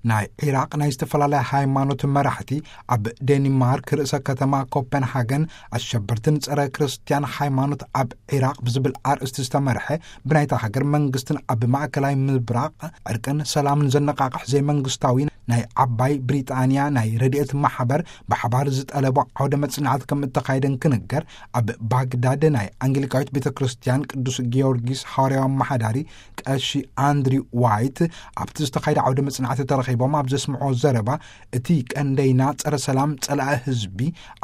ናይ ዒራቕ ናይ ዝተፈላለያ ሃይማኖት መራሕቲ ኣብ ዴንማርክ ርእሰ ከተማ ኮፐንሃገን ኣሸበርትን ጸረ ክርስትያን ሃይማኖት ኣብ ዒራቕ ብዝብል ኣርእስቲ ዝተመርሐ ብናይታ ሃገር መንግስትን ኣብ ማእከላይ ምብራቕ ዕርቅን ሰላምን ዘነቓቕሕ ዘይመንግስታዊ ናይ ዓባይ ብሪጣንያ ናይ ረድኤት ማሕበር ብሓባር ዝጠለቦ ዓውደ መጽናዕቲ ከም እተኻየደን ክንገር፣ ኣብ ባግዳድ ናይ ኣንግሊካዊት ቤተ ክርስትያን ቅዱስ ጊዮርጊስ ሃዋርያዊ ኣመሓዳሪ ቀሺ ኣንድሪው ዋይት ኣብቲ ዝተኻየደ ዓውደ መጽናዕቲ ተረኺቦም ኣብ ዘስምዖ ዘረባ፣ እቲ ቀንደይና ጸረ ሰላም፣ ጸላኢ ህዝቢ፣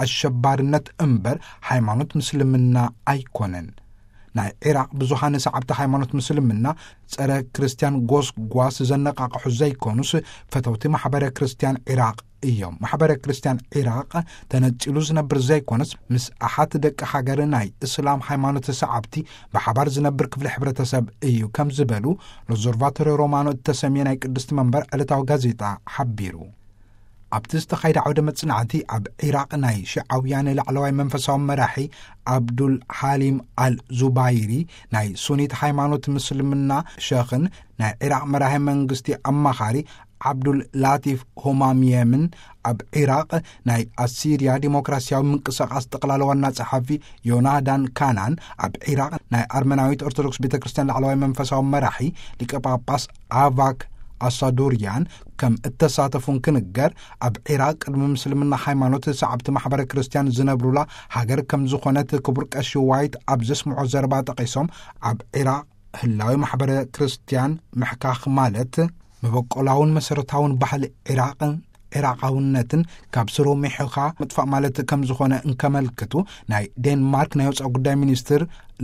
ኣሸባርነት እምበር ሃይማኖት ምስልምና ኣይኮነን። ናይ ዒራቕ ብዙሃን ሰዓብቲ ሃይማኖት ምስልምና ጸረ ክርስትያን ጎስጓስ ዘነቓቕሑ ዘይኮኑስ፣ ፈተውቲ ማሕበረ ክርስትያን ዒራቕ እዮም። ማሕበረ ክርስትያን ዒራቕ ተነጺሉ ዝነብር ዘይኮነስ፣ ምስ ኣሓት ደቂ ሃገር ናይ እስላም ሃይማኖት ሰዓብቲ ብሓባር ዝነብር ክፍሊ ሕብረተሰብ እዩ ከም ዝበሉ ሎዞርቫቶሪ ሮማኖ እተሰምየ ናይ ቅድስቲ መንበር ዕለታዊ ጋዜጣ ሓቢሩ። ኣብቲ ዝተኻየደ ዓውደ መጽናዕቲ ኣብ ዒራቕ ናይ ሽዓውያን ላዕለዋይ መንፈሳዊ መራሒ ኣብዱል ሓሊም ኣል ዙባይሪ፣ ናይ ሱኒት ሃይማኖት ምስልምና ሸኽን ናይ ዒራቕ መራሒ መንግስቲ ኣማኻሪ ዓብዱል ላቲፍ ሆማምየምን፣ ኣብ ዒራቕ ናይ ኣሲርያ ዲሞክራሲያዊ ምንቅስቓስ ጠቕላሊ ዋና ጸሓፊ ዮናዳን ካናን፣ ኣብ ዒራቕ ናይ ኣርመናዊት ኦርቶዶክስ ቤተ ክርስትያን ላዕለዋይ መንፈሳዊ መራሒ ሊቀ ጳጳስ ኣቫክ ኣሳዱርያን ከም እተሳተፉን ክንገር፣ ኣብ ዒራቕ ቅድሚ ምስልምና ሃይማኖት ሰዓብቲ ማሕበረ ክርስትያን ዝነብሩላ ሃገር ከም ዝኾነት ክቡር ቀሺ ዋይት ኣብ ዘስምዖ ዘረባ ጠቒሶም፣ ኣብ ዒራቕ ህላዊ ማሕበረ ክርስትያን ምሕካኽ ማለት መበቆላውን መሰረታውን ባህሊ ዒራቕን ዒራቓውነትን ካብ ስሩ ሚሕኻ ምጥፋእ ማለት ከም ዝኾነ እንከመልክቱ፣ ናይ ዴንማርክ ናይ ወጻኢ ጉዳይ ሚኒስትር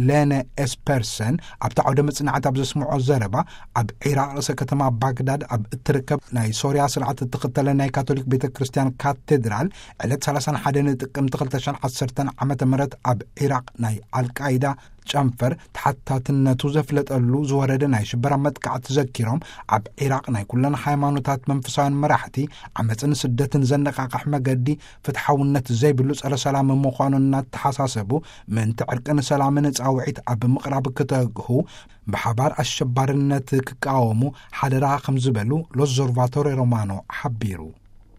ሌነ ኤስፐርሰን ኣብቲ ዓውደ መጽናዕቲ ኣብ ዘስምዖ ዘረባ፣ ኣብ ዒራቕ ርእሰ ከተማ ባግዳድ ኣብ እትርከብ ናይ ሶርያ ስርዓት እትኽተለ ናይ ካቶሊክ ቤተ ክርስትያን ካቴድራል ዕለት ሰላሳን ሓደን ጥቅምቲ ክልተ ሽሕን ዓሰርተን ዓመተ ምህረት ኣብ ዒራቕ ናይ ኣልቃይዳ ጨንፈር ተሓታትነቱ ዘፍለጠሉ ዝወረደ ናይ ሽበራ መጥቃዕቲ ዘኪሮም፣ ኣብ ዒራቕ ናይ ኩለን ሃይማኖታት መንፈሳውያን መራሕቲ ዓመፅን ስደትን ዘነቃቕሕ መገዲ ፍትሓውነት ዘይብሉ ጸረ ሰላም ምዃኑ እናተሓሳሰቡ፣ ምእንቲ ዕርቅን ሰላምን ጻውዒት ኣብ ምቕራብ ክተግሁ፣ ብሓባር ኣሸባርነት ክቃወሙ ሓደራ ከም ዝበሉ ሎዞርቫቶሬ ሮማኖ ሓቢሩ።